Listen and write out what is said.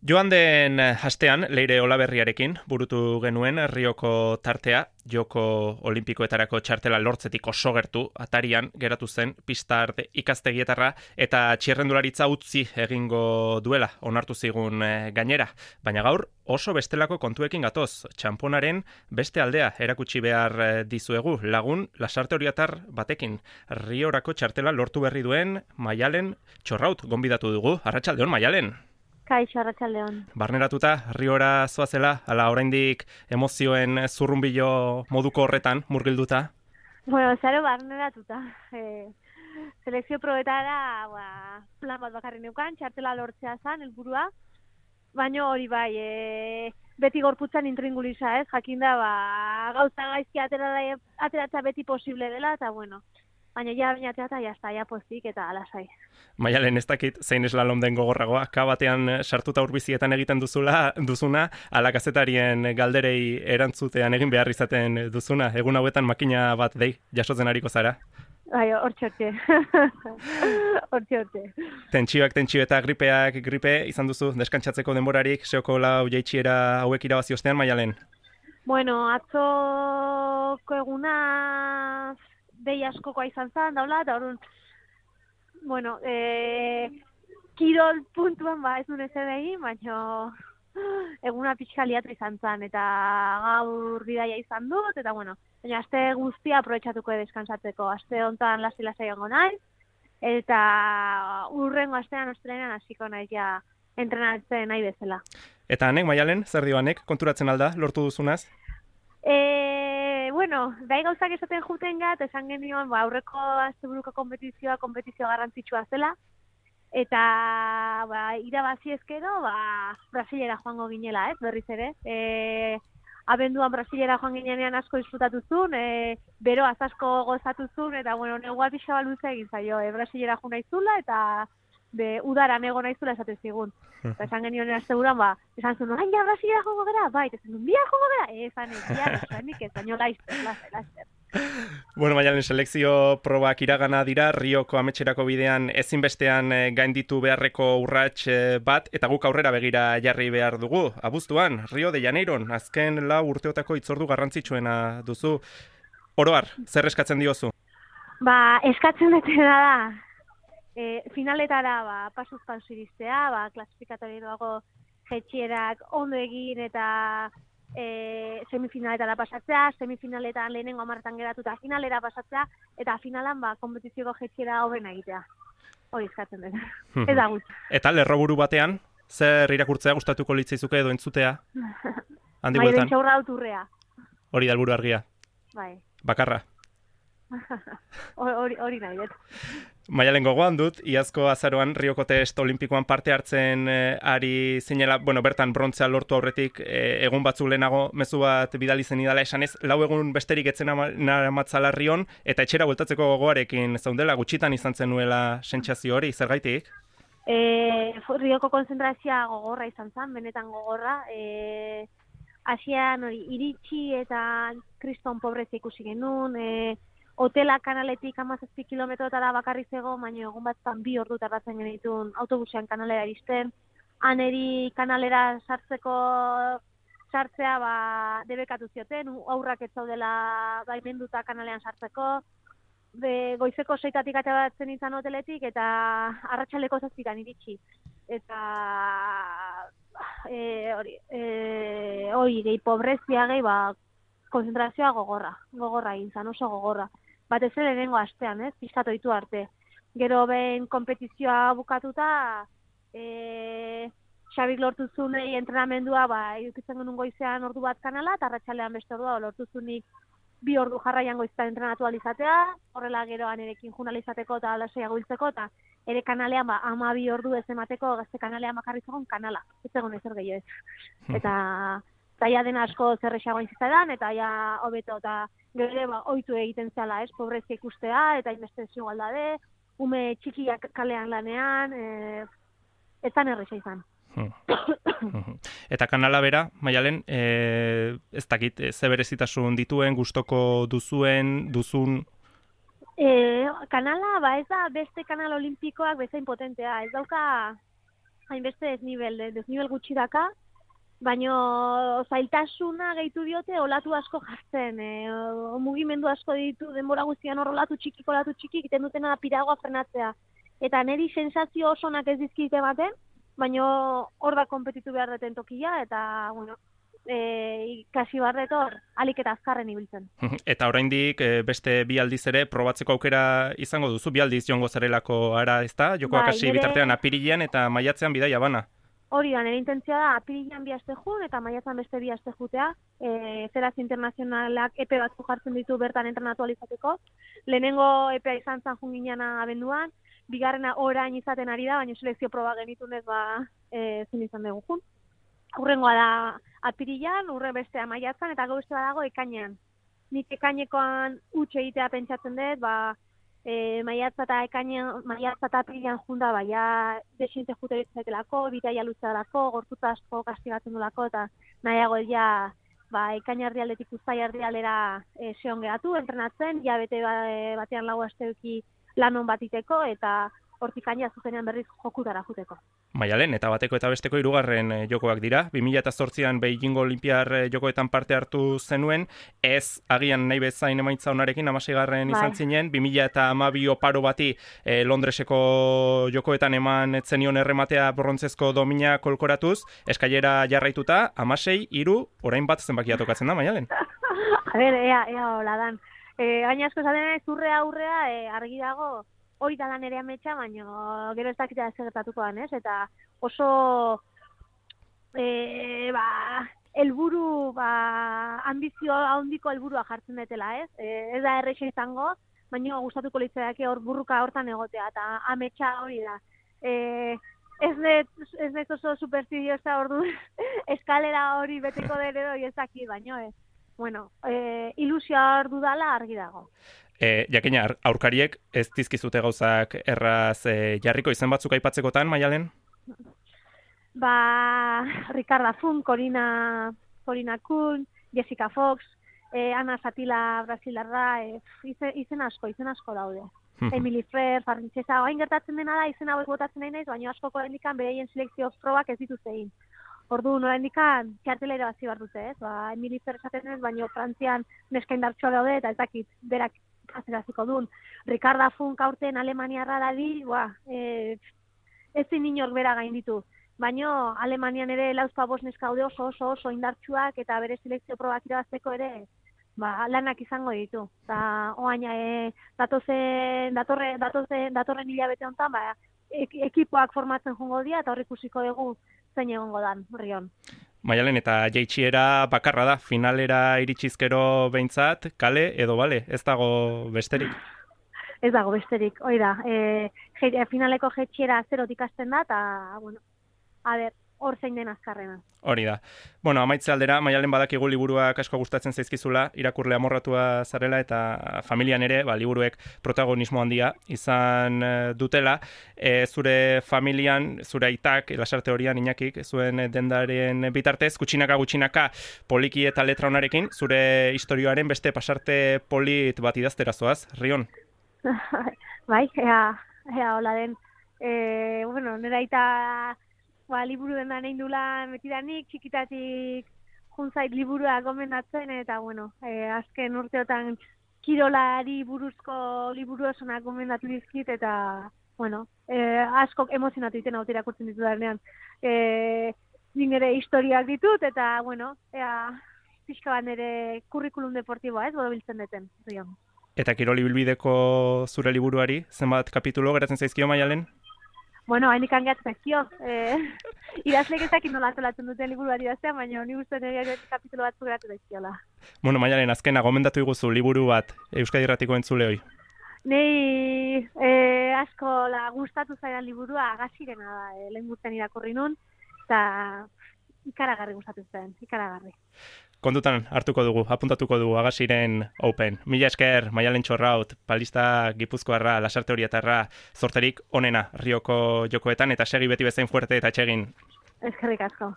Joan den hastean, Leire Olaberriarekin burutu genuen Rioko tartea, Joko Olimpikoetarako txartela lortzetik oso gertu, atarian geratu zen pista arte ikastegietarra eta txirrendularitza utzi egingo duela, onartu zigun gainera. Baina gaur oso bestelako kontuekin gatoz, txamponaren beste aldea erakutsi behar dizuegu lagun Lasarte Oriatar batekin. Riorako txartela lortu berri duen Maialen Txorraut gonbidatu dugu. Arratsaldeon Maialen. Kaixo, arratsaldeon. Barneratuta, Riora zoazela, ala oraindik emozioen zurrunbilo moduko horretan murgilduta? Bueno, zaro barneratuta. Selekzio probetara plan bat bakarri neukan, txartela lortzea zen, helburua. Baina hori bai, beti gorputzan intringulisa, jakinda gauza gaizki ateratza beti posible dela, eta bueno, baina ja bainatzea eta jazta, ja pozik eta alasai. Maialen, ez dakit zein eslalom den gogorragoa, batean sartuta urbizietan egiten duzuna, ala kazetarien galderei erantzutean egin behar izaten duzuna, egun hauetan makina bat dei jasotzen ariko zara? Bai, hortxe. Tentsio eta gripe izan duzu, deskantsatzeko denborarik, seoko lau jaitsiera hauek irabazi ostean, Maialen? Bueno, atzoko eguna dei askokoa izan zen, daula, eta orduan, bueno, kirol puntuan ez nuen ez edegi, baina eguna pixka liatu izan zen, eta gaur bidaia izan dut, eta bueno, baina aste guztia aprobetxatuko deskansatzeko, aste hontan lasai ongo naiz, eta urrengo astean ostrenean hasiko naiz ja entrenatzen nahi bezala. Eta hanek, Maialen, zer dio hanek, konturatzen alda, lortu duzunaz? Bueno, bai gauzak esaten juten gat, esan genioan aurreko asteburuko konpetizio garrantzitsua zela, eta irabazi ezkero, Brasilera joango ginela, berriz ere. Abenduan Brasilera joan ginean asko disfrutatu zuen, beroaz asko gozatu zuen, eta bueno, negua pixa baluze egin zaio, Brasilera joan naizula, eta udara nego naizula esaten zigun. Eta esan genioen asteburuan, esan zuen, orain ja Brasilera joango gara, eta esan zuen, bia joango gara, esanik ez, baino laizter. Bueno, Maialen, selekzio probak iragana dira, Rioko ametxerako bidean ezinbestean gainditu beharreko urrats bat, eta guk aurrera begira jarri behar dugu. Abuztuan, Rio de Janeiron, azken lau urteotako itzordu garrantzitsuena duzu. Oroar, zer eskatzen diozu? Eskatzen dutena da, finaletara pasuz pausu iristea, klasifikatorioago jetxierak ondo egin eta semifinaletara pasatzea, semifinaletan lehenengo hamarretan geratuta finalera pasatzea, eta finalan konpetizioko jetxiera hobena egitea. Hori eskatzen dut. Ez da gutxi. Eta lerroburu batean, zer irakurtzea gustatuko litzaizuke edo entzutea? Handi bueltan. Maialen Txorra auturrea. Hori da helburu argia. Bai. Bakarra. Hori nahi dut. Maialen, gogoan dut, iazko azaroan Rioko test olimpikoan parte hartzen ari zinela, bertan brontzea lortu aurretik egun batzuk lehenago mezu bat bidali zen idala esanez, lau egun besterik etzen aramatzala Rion, eta etxera bueltatzeko gogoarekin zaundela, gutxitan izan zenuela sentsazio hori, zergaitik? Rioko konzentrazioa gogorra izan zen, benetan gogorra, Asian hori iritsi eta kriston pobrezia ikusi genuen, hotela kanaletik 17 kilometrotara bakarri zego, baina egun batzan 2 ordu tardatzen genituen autobusean kanalera iristen. Aneri kanalera sartzea debekatu zioten, aurrak ez zaudela baimenduta kanalean sartzeko. Goizeko 6 ateratzen izan hoteletik eta arratsaleko 7 iritsi. Eta hori gehi pobrezia gehi konzentrazioa gogorra egin zan, oso gogorra. Batez ere lehenengo astean, pixkat ohitu arte. Gero behin konpetizioa bukatuta, Xabik lortu zunei entrenamendua, edukitzen genuen goizean ordu bat kanala, eta arratsalean beste ordua lortu zunik 2 ordu jarraian goizetan entrenatu alizatea, horrela gero anerekin junalizateko eta alasaiago hiltzeko, eta ere kanalean 12 ordu ez emateko gazte kanalean bakarri zegoen kanala, ez zegoen ezer gehiago ez. Eta ja dena asko zerrexagoa izan eta ja hobeto eta gero ere ohitu egiten zela, pobrezia ikustea eta inbeste desigualdade, ume txikiak kalean lanean, ez zan erresa izan. Eta kanala bera, Maialen, ez dakit, ze berezitasun dituen, gustoko duzun? Kanala, ez da beste kanal olimpikoak bezain potentea, ez dauka hainbeste desnivel gutxi daka, baino zailtasuna gehitu diote olatu asko jartzen, mugimendu asko ditu denbora guztian hor olatu txiki, egiten dutena da piragoa frenatzea. Eta niri sensazio oso onak ez dizkite ematen, baino hor da konpetitu behar deten tokia, eta, bueno, ikasi barret hor, alik eta azkarren ibiltzen. Eta oraindik beste bi aldiz ere probatzeko aukera izango duzu, bi aldiz joango zarelako ara, ezta? Jokoak hasi bitartean apirilean eta maiatzean bidaia bana. Hori da, nire intentzioa da, apirilean bi aste jun eta maiatzan beste bi aste jutea. Federazio Internazionalak epe batzu jartzen ditu bertan entrenatu alizateko. Lehenengo epea izan zan jun ginean abenduan, bigarrena orain izaten ari da, baina selekzio proba genitunez zin izan dugu jun. Hurrengoa da apirilean, hurre bestea maiatzan eta gau beste dago ekainean. Nik ekainekoan utxe egitea pentsatzen dut, maiatza eta apirilean junda, ja desiente jute ditzakelako, bitaia luzealako, gorputza asko kastigatzen dulako, eta nahiago ja ekaina erdialdetik uztai erdialdera seon geratu, entrenatzen, ja bete batean lau asteuki lanon batiteko, eta hortik aina zuzenean berriz jokutara juteko. Maialen, eta bateko eta besteko hirugarren jokoak dira. 2008an Beijingo Olinpiar jokoetan parte hartu zenuen, ez agian nahi bezain emaitza onarekin, 16. izan zinen, 2012 oparo bati Londreseko jokoetan eman etzenion errematea brontzezko domina kolkoratuz, eskailera jarraituta, 16-3, orain bat zenbakia tokatzen da, Maialen? A ber, ea hola dan. Gaina asko esaten aurrea argi dago, hori da lan ere ametsa, baina gero ez dakita gertatuko dan, ez? Eta oso helburu, ambizio handiko helburua jartzen detela, ez? Ez da erreixa izango, baina gustatuko litzaidake hor burruka hortan egotea, eta ametsa hori da. Ez dut oso superstidiosa ordu eskalera hori beteko dere doi ezaki, baino ez. Bueno, ilusioa hor dudala argi dago. Jakina, aurkariek ez dizkizute gauzak erraz jarriko izen batzuk aipatzekotan, Maialen? Ricarda Fun, Corina Kuhn, Jessica Fox, Ana Satila Brasilarra, izen asko daude. Emily Fer, Farrintzesa, hain gertatzen dena da, izen hauek botatzen nahi naiz, baina askoko hendikan bereien selekzio probak ez dituzte egin. Ordu nora hendikan txartela irabazi behar dute, ez? Emily Fer esaten ez, baina Frantzian neska indartsua daude, eta ez dakit, berak azeraziko duen. Ricarda Funk aurten Alemaniarra dadi, ezin inork bera gainditu. Baina Alemanian ere lauzpa bost neska daude oso indartsuak, eta bere selekzio probak irabazteko ere lanak izango ditu. Eta oaina datorren hilabete honetan, ekipoak formatzen jongo dira, eta horrik ikusiko dugu zein egongo dan, Rion. Maialen, eta jaitsiera bakarra da, finalera iritsizkero behintzat, kale edo bale, ez dago besterik? Ez dago besterik, hori da. Finaleko jaitsiera zerotik hasten da, eta, bueno, hor zein den azkarrena. Hori da. Bueno, amaitze aldera, Maialen badakigu liburuak asko gustatzen zaizkizula, irakurle amorratua zarela eta familian ere, liburuek protagonismo handia izan dutela. Zure familian, zure aitak, lasarte horian Iñakik, zuen dendaren bitartez, gutxinaka poliki eta letra honarekin, zure historioaren beste pasarte polit bat idaztera zoaz, Rion? Bai, ea hola den. Bueno, nera aita liburu den da nahi dulan betidanik, txikitatik juntzait liburua gomendatzen, eta bueno, azken urteotan kirolari buruzko liburu osonak gomendatu dizkit, eta bueno, askok emozionatu iten hau irakurtzen ditu danean. Nire historiak ditut, eta bueno, pixka bat nire kurrikulum deportiboa ez, bodobiltzen deten. Eta kiroli bilbideko zure liburuari, zenbat kapitulo geratzen zaizkio, Maialen? Bueno, hain ikan gehatzekio. Idazleek ezakit nola antolatzen duten liburuari idaztean, baina ni uste nire kapitulo batzu geratu daizkiola. Bueno, Maialen, azkena, gomendatu iguzu liburu bat Euskadi Irratiko entzuleoi. Nei asko gustatu zaidan liburua Agasirena da, lehen gurten irakurri nun, eta ikaragarri gustatu zen, ikaragarri. Kontutan hartuko dugu, apuntatuko dugu Agasiren Open. Mila esker, Maialen Txorraut, palista gipuzkoarra, lasarte horietarra, zorterik onena Rioko jokoetan, eta segi beti bezain fuerte eta etxegin. Eskerrik asko.